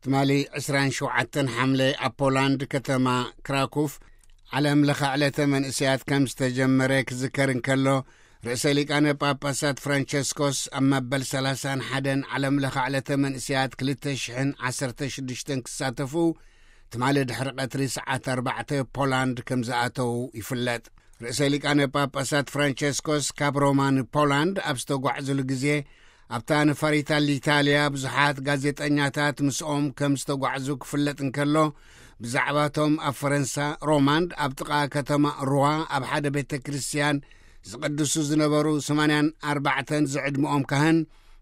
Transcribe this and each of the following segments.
ትማሊ ዕስራን ሸውዓተን ሓምለ ኣብ ፖላንድ ከተማ ክራኩፍ ዓለም ለኸ ዕለተ መንእሰያት ከም ዝተጀመረ ክዝከር እንከሎ፣ ርእሰ ሊቃነ ጳጳሳት ፍራንቸስኮስ ኣብ መበል ሰላሳን ሓደን ዓለም ለኸ ዕለተ መንእሰያት ክልተ ሽሕን ዓሰርተ ሽዱሽተን ክሳተፉ ትማሊ ድሕሪ ቀትሪ ሰዓት ኣርባዕተ ፖላንድ ከም ዝኣተዉ ይፍለጥ። ርእሰ ሊቃነ ጳጳሳት ፍራንቸስኮስ ካብ ሮማ ንፖላንድ ኣብ ዝተጓዕዙሉ ግዜ፣ ኣብታ ነፋሪት ኣልኢታልያ ብዙሓት ጋዜጠኛታት ምስኦም ከም ዝተጓዕዙ ክፍለጥ እንከሎ፣ ብዛዕባቶም ኣብ ፈረንሳ ሮማንድ ኣብ ጥቓ ከተማ ሩዋ ኣብ ሓደ ቤተ ክርስቲያን ዝቕድሱ ዝነበሩ ሰማንያን ኣርባዕተን ዝዕድመኦም ካህን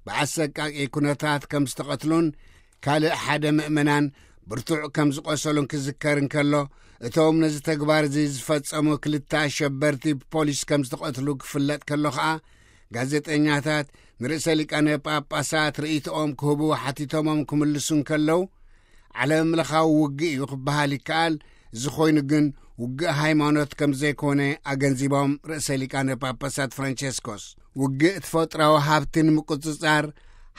ብኣሰቃቂ ኩነታት ከም ዝተቐትሉን ካልእ ሓደ ምእመናን ብርቱዕ ከም ዝቖሰሉን ክዝከር እንከሎ፣ እቶም ነዚ ተግባር እዚ ዝፈጸሙ ክልተ ኣሸበርቲ ብፖሊስ ከም ዝተቐትሉ ክፍለጥ ከሎ ኸኣ፣ ጋዜጠኛታት ንርእሰ ሊቃነ ጳጳሳት ርእይቶኦም ክህቡ ሓቲቶሞም ክምልሱ እንከለዉ፣ ዓለም ለኻዊ ውግእ እዩ ክበሃል ይከኣል። እዚ ኾይኑ ግን ውግእ ሃይማኖት ከም ዘይኮነ ኣገንዚቦም ርእሰ ሊቃነ ጳጳሳት ፍራንቸስኮስ፣ ውግእ ተፈጥራዊ ሃብቲ ንምቁጽጻር፣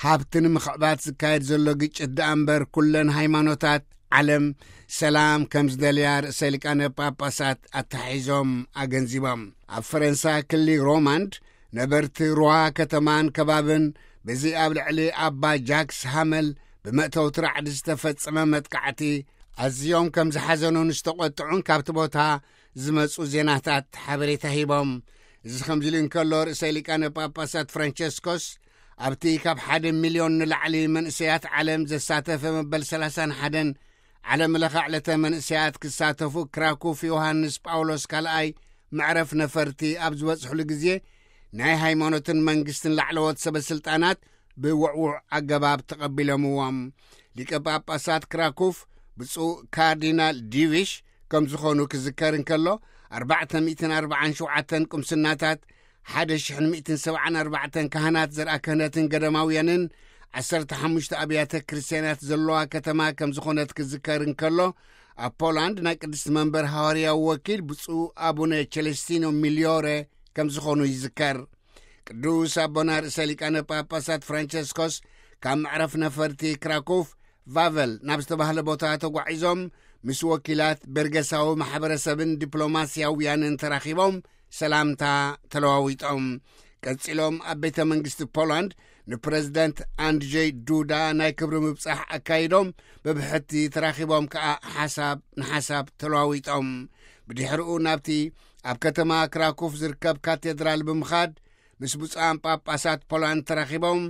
ሃብቲ ንምኽዕባት ዝካየድ ዘሎ ግጭት ደኣ እምበር፣ ኩለን ሃይማኖታት ዓለም ሰላም ከም ዝደልያ ርእሰ ሊቃነ ጳጳሳት ኣተሓሒዞም ኣገንዚቦም። ኣብ ፈረንሳ ክሊ ሮማንድ ነበርቲ ሩዋ ከተማን ከባብን በዚ ኣብ ልዕሊ ኣባ ጃክስ ሃመል ብመእተውቲ ራዕዲ ዝተፈጸመ መጥቃዕቲ ኣዝዮም ከም ዝሓዘኑን ዝተቖጥዑን ካብቲ ቦታ ዝመጹ ዜናታት ሓበሬታ ሂቦም። እዚ ከምዚ ኢሉ እንከሎ፣ ርእሰ ሊቃነ ጳጳሳት ፍራንቸስኮስ ኣብቲ ካብ ሓደ ሚልዮን ንላዕሊ መንእሰያት ዓለም ዘሳተፈ መበል ሰላሳን ሓደን ዓለም ለኸ ዕለተ መንእሰያት ክሳተፉ ክራኩፍ ዮሃንስ ጳውሎስ ካልኣይ መዕረፍ ነፈርቲ ኣብ ዝበጽሕሉ ግዜ፣ ናይ ሃይማኖትን መንግስትን ላዕለዎት ሰበ ስልጣናት ብውዕዉዕ ኣገባብ ተቐቢሎምዎም። ሊቀ ጳጳሳት ክራኩፍ ብፁዕ ካርዲናል ዲቪሽ ከም ዝኾኑ ክዝከር እንከሎ፣ ኣርባዕተ ሚእትን ኣርባዓን ሸውዓተን ቁምስናታት፣ ሓደ ሽሕን ሚእትን ሰብዓን ኣርባዕተን ካህናት ዘርኣ ክህነትን ገዳማውያንን፣ ዓሰርተ ሓሙሽተ ኣብያተ ክርስትያናት ዘለዋ ከተማ ከም ዝኾነት ክዝከር እንከሎ፣ ኣብ ፖላንድ ናይ ቅድስቲ መንበር ሃዋርያዊ ወኪል ብፁዕ ኣቡነ ቸለስቲኖ ሚልዮረ ከም ዝኾኑ ይዝከር። ቅዱስ ኣቦና ርእሰ ሊቃነ ጳጳሳት ፍራንቸስኮስ ካብ መዕረፍ ነፈርቲ ክራኮፍ ቫቨል ናብ ዝተባህለ ቦታ ተጓዒዞም፣ ምስ ወኪላት በርገሳዊ ማሕበረሰብን ዲፕሎማስያውያንን ተራኺቦም ሰላምታ ተለዋዊጦም። ቀጺሎም ኣብ ቤተ መንግስቲ ፖላንድ ንፕረዚደንት ኣንድጀይ ዱዳ ናይ ክብሪ ምብጻሕ ኣካይዶም፣ ብብሕቲ ተራኺቦም ከኣ ሓሳብ ንሓሳብ ተለዋዊጦም። ብድሕሪኡ ናብቲ ኣብ ከተማ ክራኮፍ ዝርከብ ካቴድራል ብምኻድ፣ ምስ ብፁዓን ጳጳሳት ፖላንድ ተራኺቦም።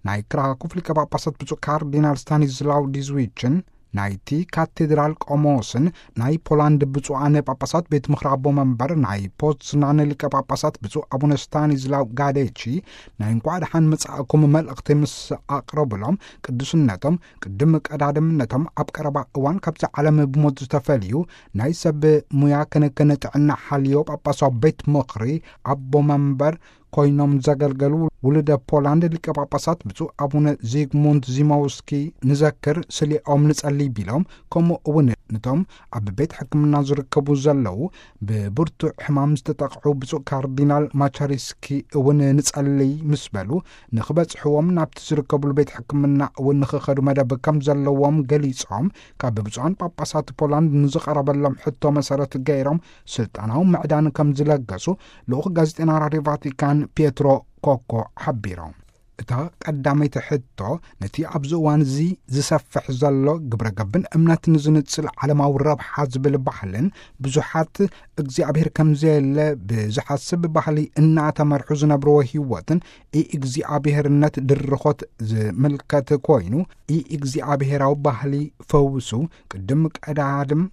ናይ ክራኮፍ ሊቀ ጳጳሳት ብፁዕ ካርዲናል ስታኒስላው ዲዝዊችን፣ ናይቲ ካቴድራል ቆሞስን ናይ ፖላንድ ብፁዓን ጳጳሳት ቤት ምኽሪ ኣቦ መንበር ናይ ፖዝናን ሊቀ ጳጳሳት ብፁዕ ኣቡነ ስታኒስላው ጋዴቺ፣ ናይ እንኳዕ ደሓን መጻእኩም መልእኽቲ ምስ ኣቕረቡሎም፣ ቅዱስነቶም ቅድሚ ቀዳድምነቶም ኣብ ቀረባ እዋን ካብዚ ዓለም ብሞት ዝተፈልዩ ናይ ሰብ ሙያ ክንክን ጥዕና ሓልዮ ጳጳሳዊ ቤት ምኽሪ ኣቦ መንበር ኮይኖም ዘገልገሉ ውሉደ ፖላንድ ሊቀ ጳጳሳት ብፁዕ ኣቡነ ዚግሙንት ዚሞውስኪ ንዘክር ስሊኦም ንጸሊ ቢሎም፣ ከምኡ እውን ነቶም ኣብ ቤት ሕክምና ዝርከቡ ዘለዉ ብብርቱዕ ሕማም ዝተጠቕዑ ብፁዕ ካርዲናል ማቻሪስኪ እውን ንጸልይ ምስ በሉ፣ ንኽበጽሕዎም ናብቲ ዝርከብሉ ቤት ሕክምና እውን ንኽኸዱ መደብ ከም ዘለዎም ገሊጾም፣ ካብ ብፁዓን ጳጳሳት ፖላንድ ንዝቐረበሎም ሕቶ መሰረት ገይሮም ስልጣናዊ ምዕዳን ከም ዝለገሱ ልኡኽ ጋዜጠና ራድዮ ቫቲካን ፒየትሮ ኮኮ ሓቢሮም። እታ ቀዳመይቲ ሕቶ፣ ነቲ ኣብዚ እዋን እዚ ዝሰፍሕ ዘሎ ግብረ ገብን እምነትን ዝንጽል ዓለማዊ ረብሓ ዝብል ባህልን ብዙሓት እግዚኣብሔር ከም ዘየለ ብዝሓስብ ባህሊ እናተመርሑ ዝነብርዎ ህይወትን ኢእግዚኣብሔርነት ድርኾት ዝምልከት ኮይኑ፣ ኢእግዚኣብሔራዊ ባህሊ ፈውሱ ቅድም ቀዳድም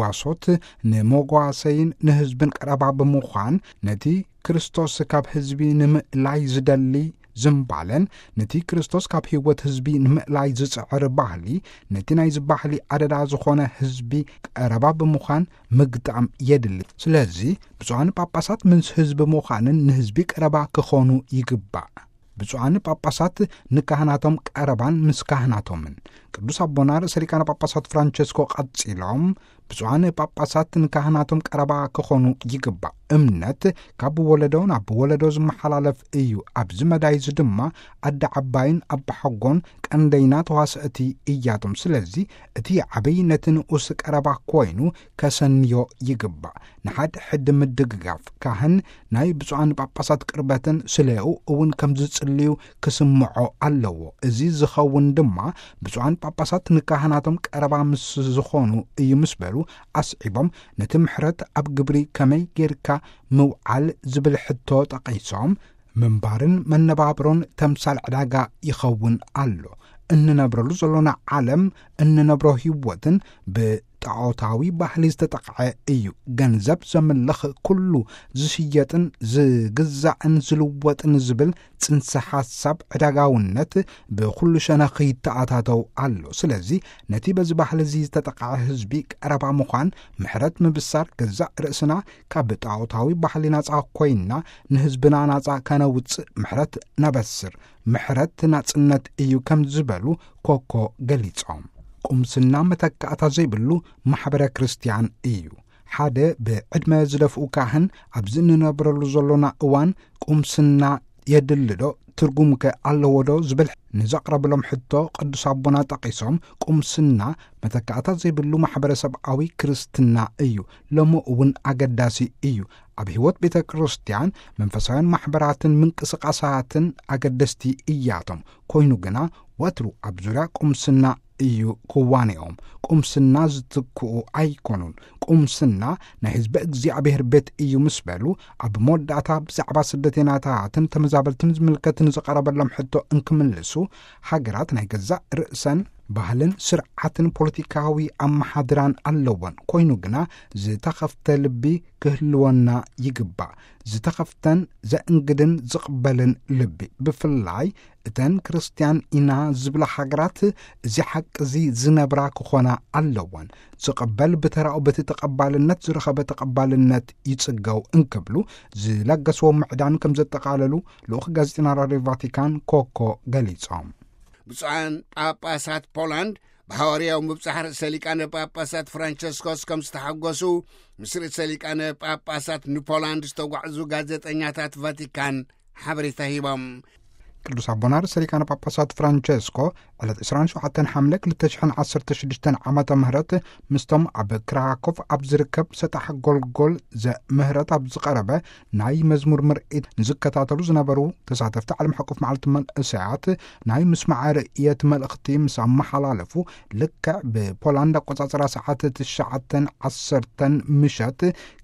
ጓሶት ንመጓሰይን ንህዝብን ቀረባ ብምዃን፣ ነቲ ክርስቶስ ካብ ህዝቢ ንምእላይ ዝደሊ ዝምባለን፣ ነቲ ክርስቶስ ካብ ህይወት ህዝቢ ንምእላይ ዝጽዕር ባህሊ፣ ነቲ ናይዚ ባህሊ ኣደዳ ዝኾነ ህዝቢ ቀረባ ብምዃን ምግጣም የድሊ። ስለዚ ብፁዓን ጳጳሳት ምስ ህዝቢ ምዃንን ንህዝቢ ቀረባ ክኾኑ ይግባእ። ብፁዓን ጳጳሳት ንካህናቶም ቀረባን ምስ ካህናቶምን። ቅዱስ ኣቦና ርእሰ ሊቃነ ጳጳሳት ፍራንቸስኮ ቀጺሎም፣ ብፁዓን ጳጳሳት ንካህናቶም ቀረባ ክኾኑ ይግባእ። እምነት ካብ ወለዶ ናብ ወለዶ ዝመሓላለፍ እዩ። ኣብዚ መዳይ እዚ ድማ ኣደ ዓባይን ኣባሓጎን ቀንደይና ተዋስእቲ እያቶም። ስለዚ እቲ ዓብይ ነቲ ንኡስ ቀረባ ኮይኑ ከሰንዮ ይግባእ። ንሓድሕድ ምድግጋፍ፣ ካህን ናይ ብፁዓን ጳጳሳት ቅርበትን ስለኡ እውን ከም ዝጽልዩ ክስምዖ ኣለዎ። እዚ ዝኸውን ድማ ብፁዓን ጳጳሳት ንካህናቶም ቀረባ ምስ ዝኾኑ እዩ ምስ በሉ ኣስዒቦም፣ ነቲ ምሕረት ኣብ ግብሪ ከመይ ጌርካ ምውዓል ዝብል ሕቶ ጠቒሶም፣ ምንባርን መነባብሮን ተምሳል ዕዳጋ ይኸውን ኣሎ። እንነብረሉ ዘሎና ዓለም፣ እንነብሮ ህይወትን ብጣዖታዊ ባህሊ ዝተጠቕዐ እዩ። ገንዘብ ዘምልኽ፣ ኩሉ ዝሽየጥን ዝግዛእን ዝልወጥን ዝብል ጽንሰ ሓሳብ ዕዳጋውነት ብኹሉ ሸነኽ ይተኣታተው ኣሎ። ስለዚ ነቲ በዚ ባህሊ እዚ ዝተጠቕዐ ህዝቢ ቀረባ ምዃን፣ ምሕረት ምብሳር፣ ገዛእ ርእስና ካብ ጣዖታዊ ባህሊ ናጻ ኮይንና ንህዝብና ናጻ ከነውጽእ ምሕረት ነበስር። ምሕረት ናጽነት እዩ ከም ዝበሉ ኮኮ ገሊጾም። ቁምስና መተካእታ ዘይብሉ ማሕበረ ክርስቲያን እዩ። ሓደ ብዕድመ ዝደፍኡ ካህን ኣብዚ እንነብረሉ ዘሎና እዋን ቁምስና የድልዶ? ትርጉምከ ኣለዎዶ? ዝብል ንዘቕረብሎም ሕቶ ቅዱስ ኣቦና ጠቒሶም፣ ቁምስና መተካእታ ዘይብሉ ማሕበረሰብኣዊ ክርስትና እዩ። ሎሚ እውን ኣገዳሲ እዩ። ኣብ ህይወት ቤተ ክርስቲያን መንፈሳውያን ማሕበራትን ምንቅስቃሳትን ኣገደስቲ እያቶም። ኮይኑ ግና ወትሩ ኣብ ዙርያ ቁምስና እዩ ክዋኔኦም። ቁምስና ዝትክኡ ኣይኮኑን። ቁምስና ናይ ህዝቢ እግዚኣብሔር ቤት እዩ ምስ በሉ፣ ኣብ መወዳእታ ብዛዕባ ስደተኛታትን ተመዛበልትን ዝምልከት ንዝቐረበሎም ሕቶ እንክምልሱ፣ ሃገራት ናይ ገዛእ ርእሰን ባህልን ስርዓትን ፖለቲካዊ ኣመሓድራን ኣለወን። ኮይኑ ግና ዝተኸፍተ ልቢ ክህልወና ይግባእ። ዝተኸፍተን ዘእንግድን ዝቕበልን ልቢ። ብፍላይ እተን ክርስትያን ኢና ዝብላ ሃገራት እዚ ሓቂ እዚ ዝነብራ ክኾና ኣለወን። ዝቕበል ብተራኡ በቲ ተቐባልነት ዝረኸበ ተቐባልነት ይጽገው እንክብሉ ዝለገስዎ ምዕዳን ከም ዘጠቓለሉ ልኡኽ ጋዜጠና ራድዮ ቫቲካን ኮኮ ገሊጾም። ብፁዓን ጳጳሳት ፖላንድ ብሃዋርያዊ ምብጻሕ ርእሰ ሊቃነ ጳጳሳት ፍራንቸስኮስ ከም ዝተሓጎሱ ምስ ርእሰ ሊቃነ ጳጳሳት ንፖላንድ ዝተጓዕዙ ጋዜጠኛታት ቫቲካን ሓበሬታ ሂቦም። ቅዱስ ኣቦና ርእሰ ሊቃነ ጳጳሳት ፍራንቸስኮ ዕለት ዕስራን ሸውዓተን ሓምለ ክልተ ሽሕን ዓሰርተ ሽዱሽተን ዓመተ ምህረት ምስቶም ኣብ ክራኮቭ ኣብ ዝርከብ ሰጣሕ ጎልጎል ዘምህረት ኣብ ዝቐረበ ናይ መዝሙር ምርኢት ንዝከታተሉ ዝነበሩ ተሳተፍቲ ዓለም ሓቆፍ መዓልቲ መንእሰያት ናይ ምስማዕ ርእየት መልእኽቲ ምስ ኣመሓላለፉ፣ ልክዕ ብፖላንድ ኣቆጻጽራ ሰዓት ትሽዓተን ዓሰርተን ምሸት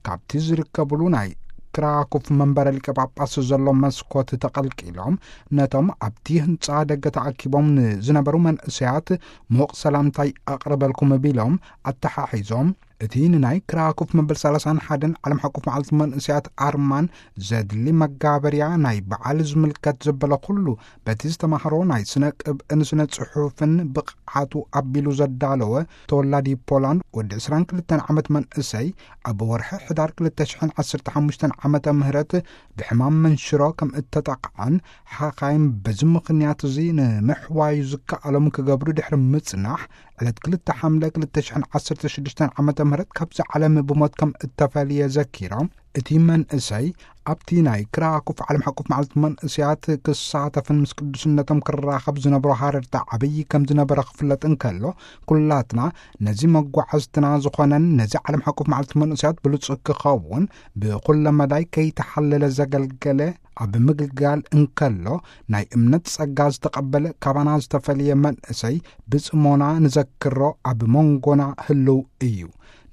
ካብቲ ዝርከብሉ ናይ ክራኮፍ መንበረ ሊቀ ጳጳስ ዘሎ መስኮት ተቐልቂሎም፣ ነቶም ኣብቲ ህንጻ ደገ ተኣኪቦም ንዝነበሩ መንእሰያት ምዉቕ ሰላምታይ ኣቕርበልኩም ቢሎም ኣተሓሒዞም፣ እቲ ንናይ ክራኮፍ መበል ሰላሳን ሓደን ዓለም ሓቆፍ መዓልቲ መንእሰያት ኣርማን ዘድሊ መጋበርያ ናይ በዓል ዝምልከት ዘበለ ኩሉ፣ በቲ ዝተማህሮ ናይ ስነ ቅብእን ስነ ጽሑፍን ብቕዓቱ ኣቢሉ ዘዳለወ ተወላዲ ፖላንድ ወዲ ዕስራን ክልተን ዓመት መንእሰይ፣ ኣብ ወርሒ ሕዳር ክልተ ሽሕን ዓሰርተ ሓሙሽተን ዓመተ ምህረት ብሕማም መንሽሮ ከም እተጠቕዐን፣ ሓኻይም በዚ ምኽንያት እዚ ንምሕዋዩ ዝከኣሎም ክገብሩ ድሕሪ ምጽናሕ፣ ዕለት ክልተ ሓምለ ክልተ ሽሕን ዓሰርተ ሽዱሽተን ዓመተ ምህረት ካብዚ ዓለም ብሞት ከም እተፈልየ ዘኪሮም፣ እቲ መንእሰይ ኣብቲ ናይ ክራኮፍ ዓለም ሓቆፍ መዓልቲ መንእሰያት ክሳተፍን ምስ ቅዱስነቶም ክራኸብ ዝነብሮ ሃረርታ ዓብዪ ከም ዝነበረ ክፍለጥ እንከሎ፣ ኩላትና ነዚ መጓዓዝትና ዝኾነን ነዚ ዓለም ሓቆፍ መዓልቲ መንእሰያት ብሉጽ ክኸውን ብኹለ መዳይ ከይተሓለለ ዘገልገለ ኣብ ምግልጋል እንከሎ፣ ናይ እምነት ጸጋ ዝተቐበለ ካባና ዝተፈልየ መንእሰይ ብጽሞና ንዘክሮ፣ ኣብ መንጎና ህልው እዩ።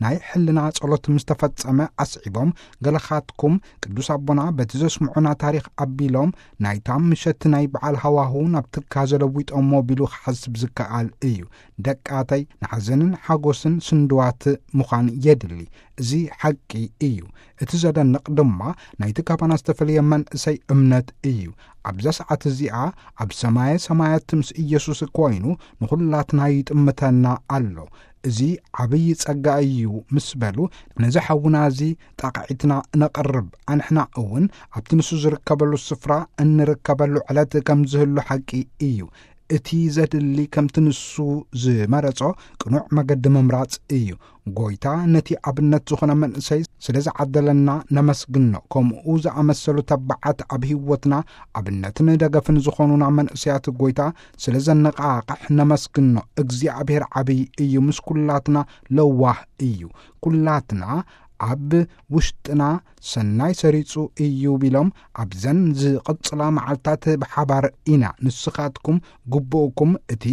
ናይ ሕልና ጸሎት ምስ ተፈጸመ ኣስዒቦም፣ ገለኻትኩም ቅዱስ ኣቦና በቲ ዘስምዑና ታሪኽ ኣቢሎም፣ ናይታ ምሸት ናይ በዓል ሃዋህው ናብ ትካዘ ለዊጦሞ ቢሉ ክሓስብ ዝከኣል እዩ። ደቃተይ፣ ንሓዘንን ሓጎስን ስንድዋት ምዃን የድሊ። እዚ ሓቂ እዩ። እቲ ዘደንቕ ድማ ናይቲ ካባና ዝተፈልየ መንእሰይ እምነት እዩ። ኣብዛ ሰዓት እዚኣ ኣብ ሰማየ ሰማያት ምስ ኢየሱስ ኮይኑ ንኹላትና ይጥምተና ኣሎ። እዚ ዓብዪ ጸጋ እዩ ምስ በሉ፣ ነዚ ሓውና እዚ ጣቕዒትና ነቕርብ። ኣንሕና እውን ኣብቲ ንሱ ዝርከበሉ ስፍራ እንርከበሉ ዕለት ከም ዝህሉ ሓቂ እዩ። እቲ ዘድሊ ከምቲ ንሱ ዝመረጾ ቅኑዕ መገዲ ምምራጽ እዩ። ጎይታ ነቲ ኣብነት ዝኾነ መንእሰይ ስለ ዝዓደለና ነመስግኖ። ከምኡ ዝኣመሰሉ ተባዓት ኣብ ህይወትና ኣብነትን ደገፍን ዝኾኑና መንእሰያት ጎይታ ስለ ዘነቓቕሕ ነመስግኖ። እግዚኣብሔር ዓብይ እዩ፣ ምስ ኩላትና ለዋህ እዩ። ኩላትና ኣብ ውሽጥና ሰናይ ሰሪጹ እዩ ቢሎም ኣብዘን ዝቕጽላ መዓልታት ብሓባር ኢና። ንስኻትኩም ግቡእኩም እቲ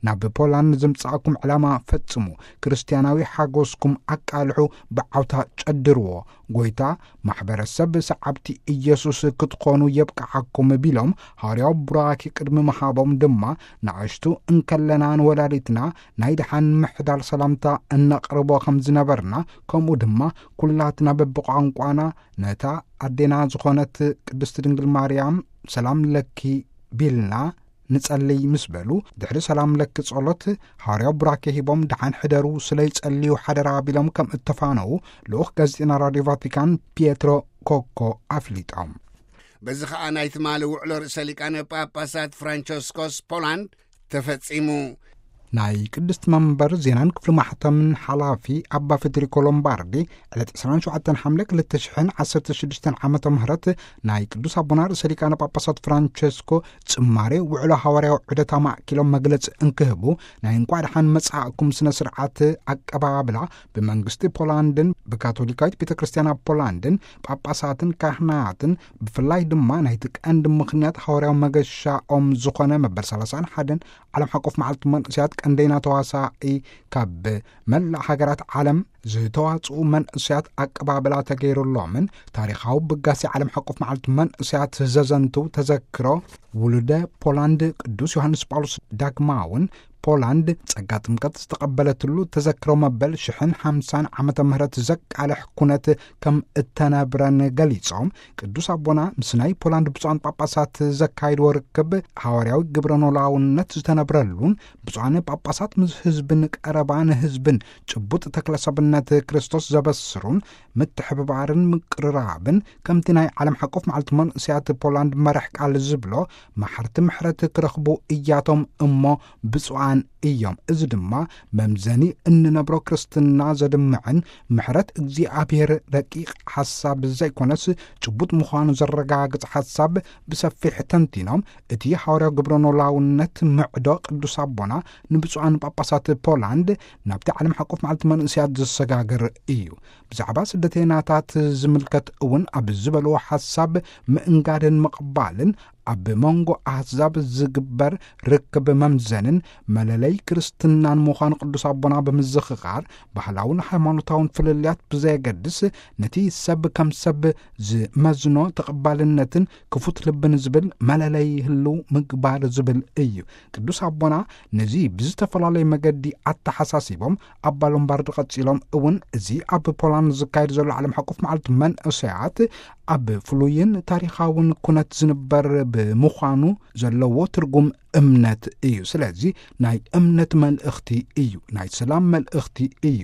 ናብ ፖላንድ ዘምጻእኩም ዕላማ ፈጽሙ። ክርስትያናዊ ሓጎስኩም ኣቃልሑ፣ ብዓውታ ጨድርዎ። ጎይታ ማሕበረሰብ ሰዓብቲ ኢየሱስ ክትኾኑ የብቅዓኩም ቢሎም ሃዋርያዊ ቡራኪ ቅድሚ ምሃቦም ድማ ንኣሽቱ እንከለና ንወላዲትና ናይ ደሓን ምሕዳር ሰላምታ እነቕርቦ ከም ዝነበርና፣ ከምኡ ድማ ኩላትና በብቋንቋና ነታ ኣዴና ዝኾነት ቅድስቲ ድንግል ማርያም ሰላም ለኪ ቢልና ንጸልይ ምስ በሉ፣ ድሕሪ ሰላም ለኪ ጸሎት ሃዋርያዊ ቡራኬ ሂቦም ደሓን ሕደሩ፣ ስለ ይጸልዩ ሓደራ ቢሎም ከም እተፋነዉ ልኡኽ ጋዜጠና ራድዮ ቫቲካን ፒየትሮ ኮኮ ኣፍሊጦም። በዚ ኸኣ ናይ ትማሊ ውዕሎ ርእሰ ሊቃነ ጳጳሳት ፍራንቸስኮስ ፖላንድ ተፈጺሙ። ናይ ቅድስቲ መንበር ዜናን ክፍሊ ማሕተምን ሓላፊ ኣባ ፌዴሪኮ ሎምባርዲ ዕለት ዕስራን ሸውዓተን ሓምለ ክልተ ሽሕን ዓሰርተ ሽዱሽተን ዓመተ ምህረት ናይ ቅዱስ ኣቦና ርእሰ ሊቃነ ጳጳሳት ፍራንቸስኮ ጽማሬ ውዕሎ ሃዋርያዊ ዑደት ኣማእኪሎም መግለጺ እንክህቡ ናይ እንቋዕ ደሓን መጻእኩም ስነ ስርዓት ኣቀባብላ ብመንግስቲ ፖላንድን ብካቶሊካዊት ቤተ ክርስቲያን ኣብ ፖላንድን ጳጳሳትን ካህናትን ብፍላይ ድማ ናይቲ ቀንዲ ምኽንያት ሃዋርያዊ መገሻኦም ዝኾነ መበል ሰላሳን ሓደን ዓለም ሓቆፍ መዓልቲ መንእሰያት ቀንደይና ተዋሳኢ ካብ መላእ ሃገራት ዓለም ዝተዋጽኡ መንእሰያት ኣቀባብላ ተገይሩሎምን ታሪኻዊ ብጋሴ ዓለም ሓቆፍ መዓልቲ መንእሰያት ዘዘንትው ተዘክሮ ውሉደ ፖላንድ ቅዱስ ዮሃንስ ጳውሎስ ዳግማውን ፖላንድ ጸጋ ጥምቀት ዝተቐበለትሉ ተዘክሮ መበል ሽሕን ሓምሳን ዓመተ ምህረት ዘቃልሕ ኩነት ከም እተነብረን ገሊጾም፣ ቅዱስ ኣቦና ምስ ናይ ፖላንድ ብፁዓን ጳጳሳት ዘካይድዎ ርክብ ሃዋርያዊ ግብረ ኖላውነት ዝተነብረሉን ብፁዓን ጳጳሳት ምስ ህዝብን ቀረባ ንህዝብን ጭቡጥ ተክለሰብነት ክርስቶስ ዘበስሩን ምትሕብባርን ምቅርራብን ከምቲ ናይ ዓለም ሓቆፍ መዓልቲ መንእሰያት ፖላንድ መራሕ ቃል ዝብሎ መሓርቲ ምሕረት ክረኽቡ እያቶም እሞ ብፁዓን እዮም። እዚ ድማ መምዘኒ እንነብሮ ክርስትና ዘድምዕን ምሕረት እግዚኣብሔር ረቂቕ ሓሳብ ዘይኮነስ ጭቡጥ ምዃኑ ዘረጋግጽ ሓሳብ ብሰፊሕ ተንቲኖም፣ እቲ ሃዋርያዊ ግብረ ኖላውነት ምዕዶ ቅዱስ ኣቦና ንብፁዓን ጳጳሳት ፖላንድ ናብቲ ዓለም ሓቆፍ መዓልቲ መንእሰያት ዘሰጋግር እዩ። ብዛዕባ ስደተይናታት ዝምልከት እውን ኣብ ዝበልዎ ሓሳብ ምእንጋድን ምቕባልን ኣብ መንጎ ኣህዛብ ዝግበር ርክብ መምዘንን መለለይ ክርስትናን ምዃኑ ቅዱስ ኣቦና ብምዝኽኻር፣ ባህላውን ሃይማኖታውን ፍልልያት ብዘየገድስ ነቲ ሰብ ከም ሰብ ዝመዝኖ ተቐባልነትን ክፉት ልብን ዝብል መለለይ ህልው ምግባር ዝብል እዩ። ቅዱስ ኣቦና ነዚ ብዝተፈላለየ መገዲ ኣተሓሳሲቦም ኣባ ሎምባርድ ቀጺሎም እውን እዚ ኣብ ፖላንድ ዝካየድ ዘሎ ዓለም ሓቆፍ መዓልቲ መንእሰያት ኣብ ፍሉይን ታሪኻውን ኩነት ዝንበር ብምዃኑ ዘለዎ ትርጉም እምነት እዩ። ስለዚ ናይ እምነት መልእኽቲ እዩ፣ ናይ ሰላም መልእኽቲ እዩ፣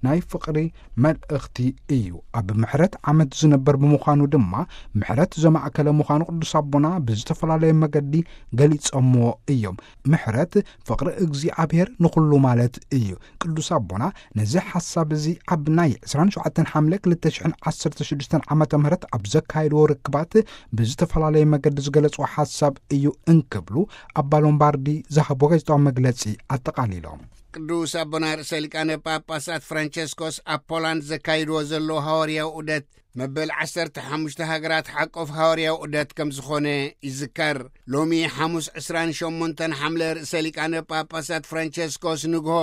ናይ ፍቕሪ መልእኽቲ እዩ። ኣብ ምሕረት ዓመት ዝንበር ብምዃኑ ድማ ምሕረት ዘማእከለ ምዃኑ ቅዱስ ኣቦና ብዝተፈላለየ መገዲ ገሊጾምዎ እዮም። ምሕረት ፍቕሪ እግዚኣብሔር ንኹሉ ማለት እዩ። ቅዱስ ኣቦና ነዚ ሓሳብ እዚ ኣብ ናይ ዕስራን ሸውዓተን ሓምለ ክልተ ሽሕን ዓሰርተ ሽዱሽተን ዓመተ ምህረት ኣብ ዘካየድዎ ርክባት ብዝተፈላለየ መገዲ ዝገለጽዎ ሓሳብ እዩ እንክብሉ ኣባ ሎምባርዲ ዝሃቦ ጋዜጣዊ መግለጺ ኣጠቓሊሎም። ቅዱስ ኣቦና ርእሰ ሊቃነ ጳጳሳት ፍራንቸስኮስ ኣብ ፖላንድ ዘካይድዎ ዘሎ ሃዋርያዊ ዑደት መበል ዓሰርተ ሓሙሽተ ሃገራት ሓቆፍ ሃዋርያዊ ዑደት ከም ዝኾነ ይዝከር። ሎሚ ሓሙስ ዕስራን ሸሞንተን ሓምለ ርእሰ ሊቃነ ጳጳሳት ፍራንቸስኮስ ንግሆ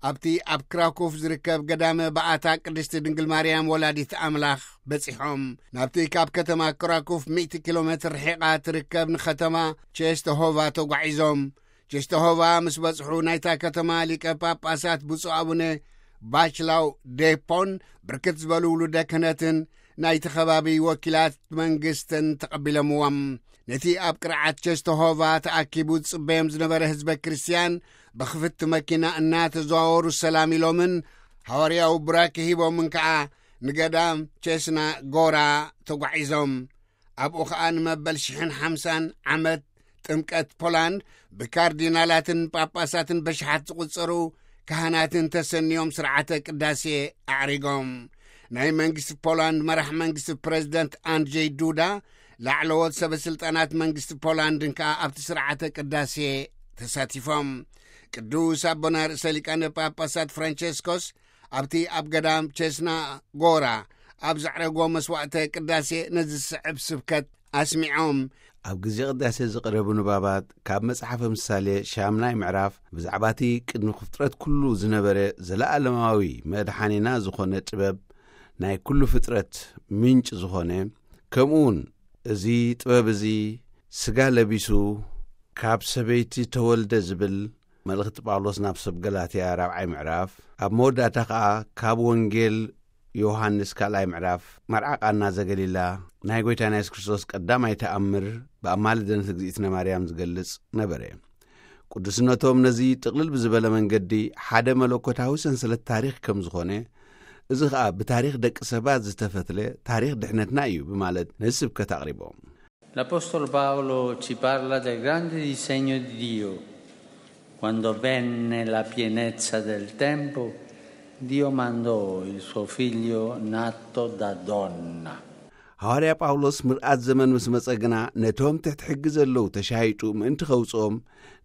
ኣብቲ ኣብ ክራኩፍ ዝርከብ ገዳመ በዓታ ቅድስቲ ድንግል ማርያም ወላዲት ኣምላኽ በጺሖም። ናብቲ ካብ ከተማ ክራኩፍ ሚእቲ ኪሎ ሜትር ርሒቓ ትርከብ ንኸተማ ቼስተሆቫ ተጓዒዞም። ቼስተሆቫ ምስ በጽሑ ናይታ ከተማ ሊቀ ጳጳሳት ብፁዕ ኣቡነ ባችላው ዴፖን ብርክት ዝበሉ ውሉደ ክህነትን ናይቲ ከባቢ ወኪላት መንግስትን ተቐቢሎምዎም። ነቲ ኣብ ቅርዓት ቸስተሆቫ ተኣኪቡ ዝጽበዮም ዝነበረ ህዝበ ክርስትያን ብኽፍቲ መኪና እናተዘዋወሩ ሰላም ኢሎምን ሃዋርያዊ ቡራኬ ሂቦምን ከኣ ንገዳም ቸስና ጎራ ተጓዒዞም። ኣብኡ ኸኣ ንመበል ሽሕን ሓምሳን ዓመት ጥምቀት ፖላንድ ብካርዲናላትን ጳጳሳትን በሽሓት ዝቑጸሩ ካህናትን ተሰንዮም ስርዓተ ቅዳሴ ኣዕሪጎም። ናይ መንግስቲ ፖላንድ መራሕ መንግስቲ ፕረዚደንት ኣንድርዜይ ዱዳ፣ ላዕለዎት ሰበ ስልጣናት መንግስቲ ፖላንድን ከኣ ኣብቲ ስርዓተ ቅዳሴ ተሳቲፎም። ቅዱስ ኣቦና ርእሰ ሊቃነ ጳጳሳት ፍራንቸስኮስ ኣብቲ ኣብ ገዳም ቸስና ጎራ ኣብ ዘዕረጎ መስዋዕተ ቅዳሴ ነዚ ዝስዕብ ስብከት ኣስሚዖም። ኣብ ግዜ ቅዳሴ ዝቐረቡ ንባባት ካብ መጽሓፈ ምሳሌ ሻምናይ ምዕራፍ፣ ብዛዕባ እቲ ቅድሚ ፍጥረት ኩሉ ዝነበረ ዘለኣለማዊ መድሓኒና ዝኾነ ጥበብ፣ ናይ ኩሉ ፍጥረት ምንጭ ዝኾነ፣ ከምኡ እውን እዚ ጥበብ እዚ ስጋ ለቢሱ ካብ ሰበይቲ ተወልደ ዝብል መልእኽቲ ጳውሎስ ናብ ሰብ ገላትያ ራብዓይ ምዕራፍ፣ ኣብ መወዳእታ ኸኣ ካብ ወንጌል ዮሃንስ ካልኣይ ምዕራፍ፣ መርዓ ቃና ዘገሊላ፣ ናይ ጐይታና የሱስ ክርስቶስ ቀዳማይ ተኣምር ብኣማልደነት እግዚኣብሔር ማርያም ዝገልጽ ነበረ። ቅዱስነቶም ነዚ ጥቕልል ብዝበለ መንገዲ ሓደ መለኮታዊ ሰንሰለት ታሪኽ ከም ዝኾነ፣ እዚ ኸኣ ብታሪኽ ደቂ ሰባት ዝተፈትለ ታሪኽ ድሕነትና እዩ ብማለት ነዚ ስብከት ኣቕሪቦም። L'Apostolo Paolo ci parla del grande disegno di Dio. Quando venne la pienezza del tempo, Dio mandò il suo figlio nato da donna. ሃዋርያ ጳውሎስ ምርኣት ዘመን ምስ መጸ ግና ነቶም ትሕቲ ሕጊ ዘለዉ ተሻይጡ ምእንቲ ኸውጽኦም፣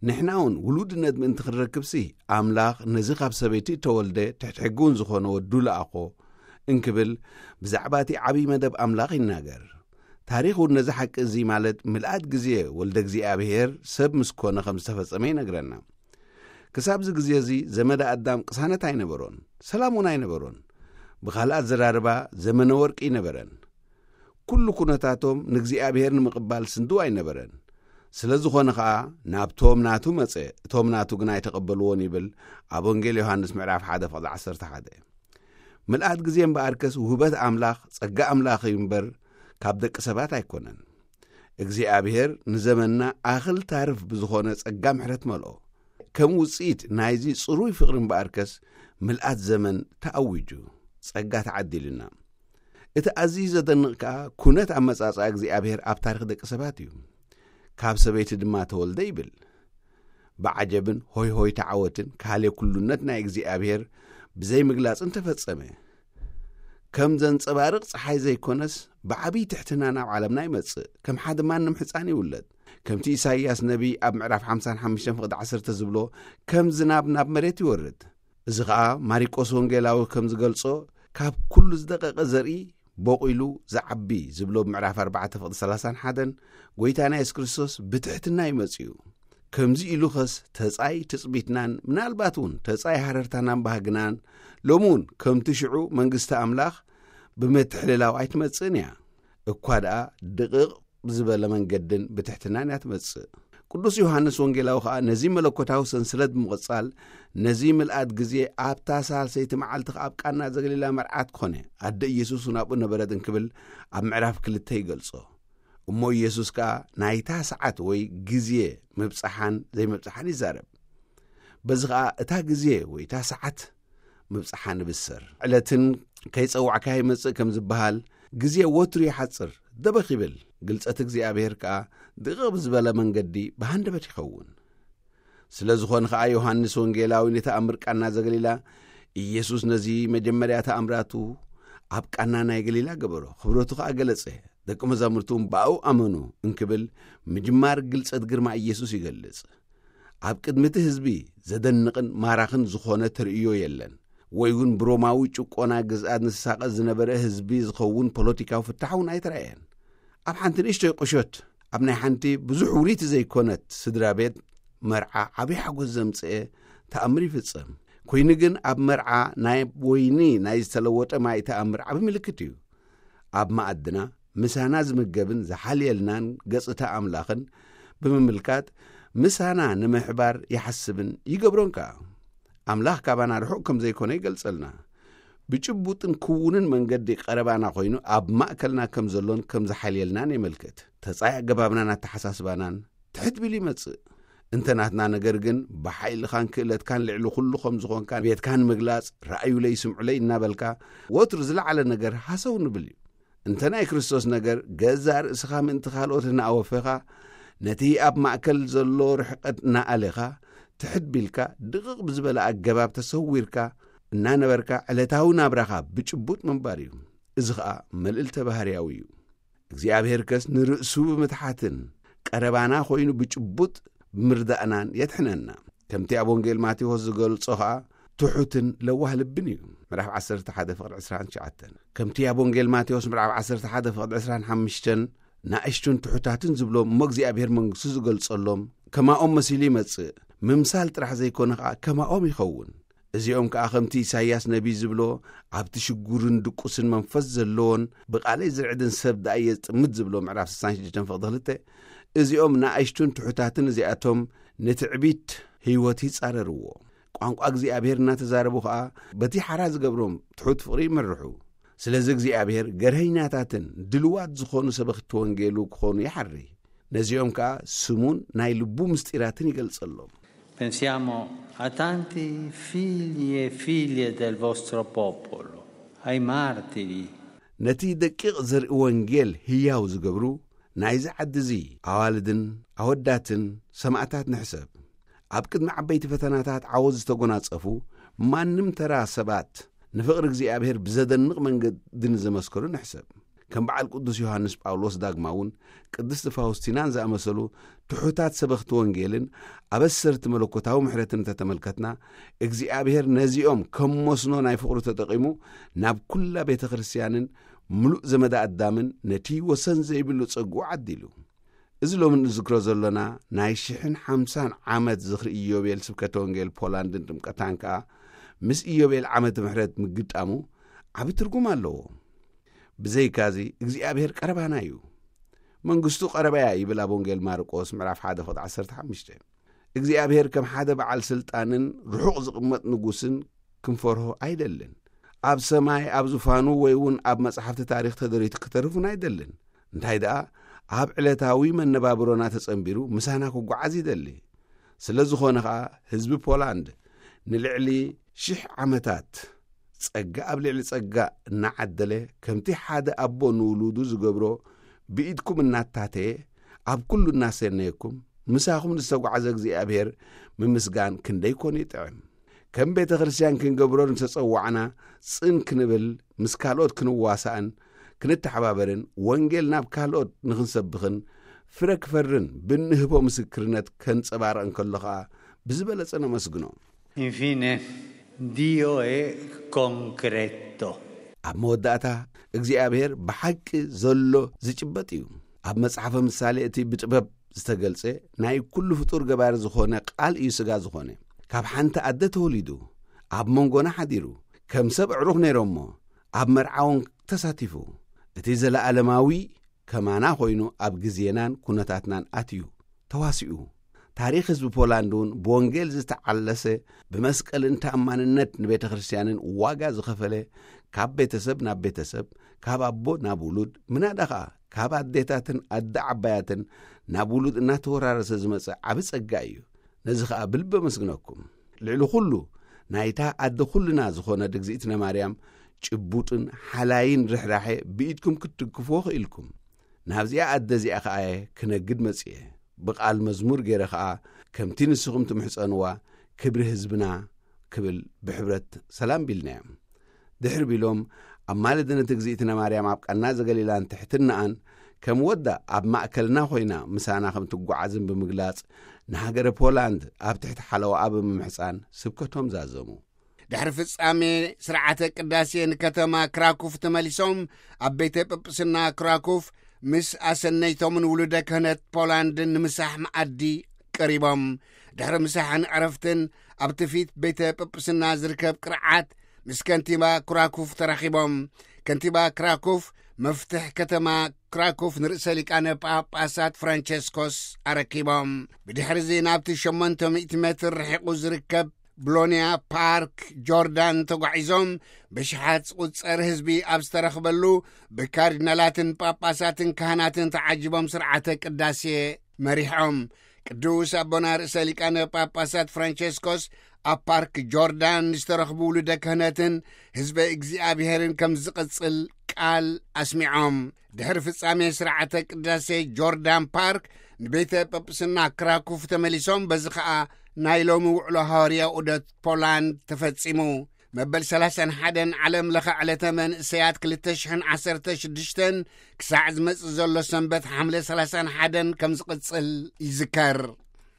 ንሕና እውን ውሉድነት ምእንቲ ክንረክብሲ ኣምላኽ ነዚ ካብ ሰበይቲ እተወልደ ትሕቲ ሕጊ እውን ዝኾነ ወዱ ለኣኾ እንክብል ብዛዕባ እቲ ዓብዪ መደብ ኣምላኽ ይናገር። ታሪኽ እውን ነዚ ሓቂ እዚ ማለት ምልኣት ግዜ ወልደ እግዚኣብሔር ሰብ ምስ ኮነ ከም ዝተፈጸመ ይነግረና። ክሳብዚ ግዜ እዚ ዘመደ ኣዳም ቅሳነት ኣይነበሮን፣ ሰላም እውን ኣይነበሮን። ብኻልእ ኣዘራርባ ዘመነ ወርቂ ኣይነበረን። ኩሉ ኩነታቶም ንእግዚኣብሔር ንምቕባል ስንድው ኣይነበረን። ስለ ዝኾነ ኸኣ ናብቶም ናቱ መጸ፣ እቶም ናቱ ግና ኣይተቐበልዎን ይብል ኣብ ወንጌል ዮሃንስ ምዕራፍ ሓደ ፍቕዲ ዓሰርተ ሓደ። ምልኣት ግዜ እምበኣርከስ ውህበት ኣምላኽ ጸጋ ኣምላኽ እዩ እምበር ካብ ደቂ ሰባት ኣይኮነን። እግዚኣብሔር ንዘመንና ኣኽል ታርፍ ብዝኾነ ጸጋ ምሕረት መልኦ። ከም ውጽኢት ናይዚ ጽሩይ ፍቕሪ እምበኣርከስ ምልኣት ዘመን ተኣዊጁ፣ ጸጋ ተዓዲልና። እቲ ኣዝዩ ዘደንቕ ከኣ ኩነት ኣመጻጽኣ እግዚኣብሔር ኣብ ታሪኽ ደቂ ሰባት እዩ። ካብ ሰበይቲ ድማ ተወልደ ይብል። ብዓጀብን ሆይ ሆይ ተዓወትን ካልእ ኩሉነት ናይ እግዚኣብሔር ብዘይ ምግላጽን ተፈጸመ። ከም ዘንጸባርቕ ጸሓይ ዘይኮነስ ብዓብዪ ትሕትና ናብ ዓለምና ይመጽእ፣ ከም ሓደ ማንም ሕጻን ይውለድ። ከምቲ ኢሳይያስ ነቢይ ኣብ ምዕራፍ ሓምሳን ሓሙሽተን ፍቕዲ ዓሰርተ ዝብሎ፣ ከም ዝናብ ናብ መሬት ይወርድ። እዚ ኸኣ ማሪቆስ ወንጌላዊ ከም ዝገልጾ፣ ካብ ኩሉ ዝደቐቐ ዘርኢ ቦቒሉ ዝዓቢ ዝብሎ ምዕራፍ ኣርባዕተ ፍቕዲ ሰላሳን ሓደን፣ ጐይታና የሱስ ክርስቶስ ብትሕትና እዩ መጺኡ። ከምዚ ኢሉ ኸስ ተጻይ ትጽቢትናን ምናልባት እውን ተጻይ ሃረርታናን ባህግናን ሎሚ እውን ከምቲ ሽዑ መንግስቲ ኣምላኽ ብምትሕልላው ኣይትመጽእን እያ። እኳ ደኣ ድቕቕ ብዝበለ መንገድን ብትሕትናን እያ ትመጽእ። ቅዱስ ዮሃንስ ወንጌላዊ ኸኣ ነዚ መለኮታዊ ሰንሰለት ብምቕጻል ነዚ ምልኣት ግዜ ኣብታ ሳልሰይቲ መዓልቲ ኣብ ቃና ዘገሊላ መርዓት ኮነ፣ ኣደ ኢየሱስ እውን ኣብኡ ነበረት እንክብል ኣብ ምዕራፍ ክልተ ይገልጾ። እሞ ኢየሱስ ከኣ ናይታ ሰዓት ወይ ግዜ ምብጻሓን ዘይምብጻሓን ይዛረብ። በዚ ኸኣ እታ ግዜ ወይ እታ ሰዓት ምብጻሓ ንብሰር። ዕለትን ከይጸዋዕካ ይመጽእ ከም ዝበሃል፣ ግዜ ወትሩ ይሓጽር፣ ደበኽ ይብል። ግልጸት እግዚኣብሔር ከኣ ድቕቕ ብዝበለ መንገዲ ብሃንደበት ይኸውን። ስለ ዝኾነ ኸኣ ዮሃንስ ወንጌላዊ ንተኣምር ቃና ዘገሊላ፣ ኢየሱስ ነዚ መጀመርያ ተኣምራቱ ኣብ ቃና ናይ ገሊላ ገበሮ፣ ክብረቱ ኸኣ ገለጸ፣ ደቂ መዛሙርቱ እውን ብኣኡ ኣመኑ እንክብል ምጅማር ግልጸት ግርማ ኢየሱስ ይገልጽ። ኣብ ቅድሚ እቲ ህዝቢ ዘደንቕን ማራኽን ዝኾነ ተርእዮ የለን፣ ወይ እውን ብሮማዊ ጭቆና ግዝኣት ንሳቐ ዝነበረ ህዝቢ ዝኸውን ፖለቲካዊ ፍታሕ እውን ኣይተራእየን። ኣብ ሓንቲ ንእሽቶይ ቁሸት፣ ኣብ ናይ ሓንቲ ብዙሕ ውሪቲ ዘይኮነት ስድራ ቤት መርዓ ዓብዪ ሓጎስ ዘምጽኤ ተኣምር ይፍጸም። ኮይኑ ግን ኣብ መርዓ ናይ ወይኒ ናይ ዝተለወጠ ማይ ተኣምር ዓቢ ምልክት እዩ። ኣብ መኣድና ምሳና ዝምገብን ዝሓልየልናን ገጽታ ኣምላኽን ብምምልካት ምሳና ንምሕባር ይሓስብን ይገብሮን ከኣ። ኣምላኽ ካባና ርሑቕ ከም ዘይኮነ ይገልጸልና። ብጭቡጥን ክውንን መንገዲ ቀረባና ኮይኑ ኣብ ማእከልና ከም ዘሎን ከም ዝሓልየልናን የመልክት። ተጻይ ኣገባብናን ኣተሓሳስባናን ትሕት ቢሉ ይመጽእ። እንተ ናትና ነገር ግን ብሓይልኻን ክእለትካን ልዕሊ ኩሉ ከም ዝኾንካ ቤትካ ንምግላጽ ራእዩለይ ስምዑለይ እናበልካ ወትሩ ዝለዓለ ነገር ሃሰው ንብል እዩ። እንተ ናይ ክርስቶስ ነገር ገዛእ ርእስኻ ምእንቲ ካልኦት እናኣወፈኻ ነቲ ኣብ ማእከል ዘሎ ርሕቀት እናኣሌኻ፣ ትሕት ቢልካ፣ ድቕቕ ብዝበለ ኣገባብ ተሰዊርካ እናነበርካ፣ ዕለታዊ ናብራኻ ብጭቡጥ ምንባር እዩ። እዚ ኸኣ መልእልተ ባህርያዊ እዩ። እግዚኣብሔር ከስ ንርእሱ ብምትሓትን ቀረባና ኮይኑ ብጭቡጥ ብምርዳእናን የድሕነና። ከምቲ ኣብ ወንጌል ማቴዎስ ዝገልጾ ኸኣ ትሑትን ለዋህ ልብን እዩ። ምዕራፍ ዓሰርተ ሓደ ፍቕዲ ዕስራን ትሽዓተን። ከምቲ ኣብ ወንጌል ማቴዎስ ምዕራፍ ዓሰርተ ሓደ ፍቕዲ ዕስራን ሓሙሽተን፣ ናእሽቱን ትሑታትን ዝብሎም እሞ እግዚኣብሔር መንግስቱ ዝገልጸሎም፣ ከማኦም መሲሉ ይመጽእ። ምምሳል ጥራሕ ዘይኮነ ኸኣ ከማኦም ይኸውን። እዚኦም ከኣ ከምቲ ኢሳይያስ ነቢይ ዝብሎ፣ ኣብቲ ሽጉርን ድቁስን መንፈስ ዘለዎን ብቓለይ ዝርዕድን ሰብ ደኣ እየ ዝጥምት ዝብሎ ምዕራፍ ስሳን ሽዱሽተን ፍቕዲ ክልተ፣ እዚኦም ንኣሽቱን ትሑታትን እዚኣቶም ንትዕቢት ህይወት ይጻረርዎ። ቋንቋ እግዚኣብሔር እናተዛረቡ ኸኣ በቲ ሓራ ዝገብሮም ትሑት ፍቕሪ ይመርሑ። ስለዚ እግዚኣብሔር ገርሀኛታትን ድልዋት ዝኾኑ ሰበኽቲ ወንጌሉ ክኾኑ ይሓሪ። ነዚኦም ከኣ ስሙን ናይ ልቡ ምስጢራትን ይገልጸሎም። Pensiamo a tanti figli e figlie del vostro popolo, ai martiri. ነቲ ደቂቕ ዘርኢ ወንጌል ህያው ዝገብሩ ናይዚ ዓዲ እዚ ኣዋልድን ኣወዳትን ሰማእታት ንሕሰብ። ኣብ ቅድሚ ዓበይቲ ፈተናታት ዓወት ዝተጎናጸፉ ማንም ተራ ሰባት ንፍቕሪ እግዚኣብሔር ብዘደንቕ መንገዲ ንዘመስከሩ ንሕሰብ። ከም በዓል ቅዱስ ዮሃንስ ጳውሎስ ዳግማውን ቅድስቲ ፋውስቲናን ዝኣመሰሉ ትሑታት ሰበኽቲ ወንጌልን ኣበሰርቲ መለኮታዊ ምሕረትን እንተተመልከትና፣ እግዚኣብሔር ነዚኦም ከም መስኖ ናይ ፍቕሩ ተጠቒሙ ናብ ኩላ ቤተ ክርስቲያንን ምሉእ ዘመዳ ኣዳምን ነቲ ወሰን ዘይብሉ ጸግኡ ዓዲሉ። እዚ ሎሚ ንዝክሮ ዘሎና ናይ ሽሕን ሓምሳን ዓመት ዝኽሪ ኢዮቤል ስብከተ ወንጌል ፖላንድን ጥምቀታን ከኣ ምስ ኢዮቤል ዓመተ ምሕረት ምግጣሙ ዓቢ ትርጉም ኣለዎ። ብዘይካዚ እግዚኣብሔር ቀረባና እዩ። መንግስቱ ቀረባያ ይብል ኣብ ወንጌል ማርቆስ ምዕራፍ ሓደ ፍቕዲ ዓሰርተ ሓሙሽተ። እግዚኣብሔር ከም ሓደ በዓል ስልጣንን ርሑቕ ዝቕመጥ ንጉስን ክንፈርሆ ኣይደልን። ኣብ ሰማይ ኣብ ዙፋኑ ወይ እውን ኣብ መጻሕፍቲ ታሪኽ ተደሪቱ ክተርፍን ኣይደልን። እንታይ ደኣ ኣብ ዕለታዊ መነባብሮና ተጸንቢሩ ምሳና ክጓዓዝ ይደሊ። ስለ ዝኾነ ኸኣ ህዝቢ ፖላንድ ንልዕሊ ሽሕ ዓመታት ጸጋ ኣብ ልዕሊ ጸጋ እናዓደለ ከምቲ ሓደ ኣቦ ንውሉዱ ዝገብሮ ብኢድኩም እናታተየ ኣብ ኩሉ እናሰነየኩም ምሳኹም ንዝተጓዕዘ እግዚኣብሔር ምምስጋን ክንደይ ኮን ይጥዕም። ከም ቤተ ክርስቲያን ክንገብሮ ንተጸዋዕና ጽን ክንብል ምስ ካልኦት ክንዋሳእን ክንተሓባበርን ወንጌል ናብ ካልኦት ንኽንሰብኽን ፍረ ክፈርን ብንህቦ ምስክርነት ከንጸባረቕ እንከሎ ኸኣ ብዝበለጸ ነመስግኖ። Infine, Dio è concreto. ኣብ መወዳእታ እግዚኣብሔር ብሓቂ ዘሎ ዝጭበጥ እዩ። ኣብ መጽሓፈ ምሳሌ እቲ ብጥበብ ዝተገልጸ ናይ ኩሉ ፍጡር ገባሪ ዝኾነ ቃል እዩ ስጋ ዝኾነ። ካብ ሓንቲ ኣደ ተወሊዱ ኣብ መንጎና ሓዲሩ ከም ሰብ ኣዕሩኽ ነይሮሞ ኣብ መርዓውን ተሳቲፉ። እቲ ዘለኣለማዊ ከማና ኮይኑ ኣብ ግዜናን ኩነታትናን ኣትዩ ተዋሲኡ። ታሪኽ ህዝቢ ፖላንድ እውን ብወንጌል ዝተዓለሰ ብመስቀልን ተኣማንነት ንቤተ ክርስቲያንን ዋጋ ዝኸፈለ ካብ ቤተሰብ ናብ ቤተሰብ ካብ ኣቦ ናብ ውሉድ ምናዳ ኸኣ ካብ ኣዴታትን ኣደ ዓባያትን ናብ ውሉድ እናተወራረሰ ዝመጸ ዓቢ ጸጋ እዩ። ነዚ ኸኣ ብልቢ ኣመስግነኩም። ልዕሊ ኩሉ ናይታ ኣደ ኩልና ዝኾነ ድግዝእትነ ማርያም ጭቡጥን ሓላይን ርሕራሐ ብኢድኩም ክትድግፍዎ ኽኢልኩም። ናብዚኣ ኣደ እዚኣ ኸኣ እየ ክነግድ መጽየ። ብቓል መዝሙር ገይረ ኸኣ ከምቲ ንስኹም ትምሕጸንዋ ክብሪ ህዝብና ክብል ብሕብረት ሰላም ቢልናዮም። ድሕሪ ቢሎም ኣብ ማለደ ነቲ እግዚኣብእትነ ማርያም ኣብ ቃና ዘገሊላን ትሕትናኣን ከም ወዳ ኣብ ማእከልና ኮይና ምሳና ከም ትጓዓዝን ብምግላጽ ንሃገረ ፖላንድ ኣብ ትሕቲ ሓለዋኣ ብምምሕጻን ስብከቶም ዛዘሙ። ድሕሪ ፍጻሜ ስርዓተ ቅዳሴ ንከተማ ክራኩፍ ተመሊሶም ኣብ ቤተ ጵጵስና ክራኩፍ ምስ ኣሰነይቶምን ውሉደ ክህነት ፖላንድን ንምሳሕ መኣዲ ቀሪቦም። ድሕሪ ምሳሕን ዕረፍትን ኣብቲ ፊት ቤተ ጵጵስና ዝርከብ ቅርዓት ምስ ከንቲባ ክራኩፍ ተራኺቦም። ከንቲባ ክራኩፍ መፍትሕ ከተማ ክራኩፍ ንርእሰ ሊቃነ ጳጳሳት ፍራንቸስኮስ ኣረኪቦም። ብድሕርዚ ናብቲ ሸሞንተ ሚእቲ ሜትር ርሒቑ ዝርከብ ብሎንያ ፓርክ ጆርዳን ተጓዒዞም ብሽሓት ዝቑጸር ህዝቢ ኣብ ዝተረኽበሉ ብካርዲናላትን ጳጳሳትን ካህናትን ተዓጂቦም ስርዓተ ቅዳሴ መሪሖም። ቅዱስ ኣቦና ርእሰ ሊቃነ ጳጳሳት ፍራንቸስኮስ ኣብ ፓርክ ጆርዳን ዝተረኽቡ ውሉደ ክህነትን ህዝበ እግዚኣብሔርን ከም ዝቕጽል ቃል ኣስሚዖም። ድሕሪ ፍጻሜ ስርዓተ ቅዳሴ ጆርዳን ፓርክ ንቤተ ጳጳስና ክራኩፍ ተመሊሶም። በዚ ኸኣ ናይ ሎሚ ውዕሎ ሃዋርያ ዑደት ፖላንድ ተፈጺሙ። መበል ሰላሳን ሓደን ዓለም ለኸ ዕለተ መንእሰያት ክልተ ሽሕን ዓሰርተ ሽዱሽተን ክሳዕ ዝመጽእ ዘሎ ሰንበት ሓምለ ሰላሳን ሓደን ከም ዝቕጽል ይዝከር።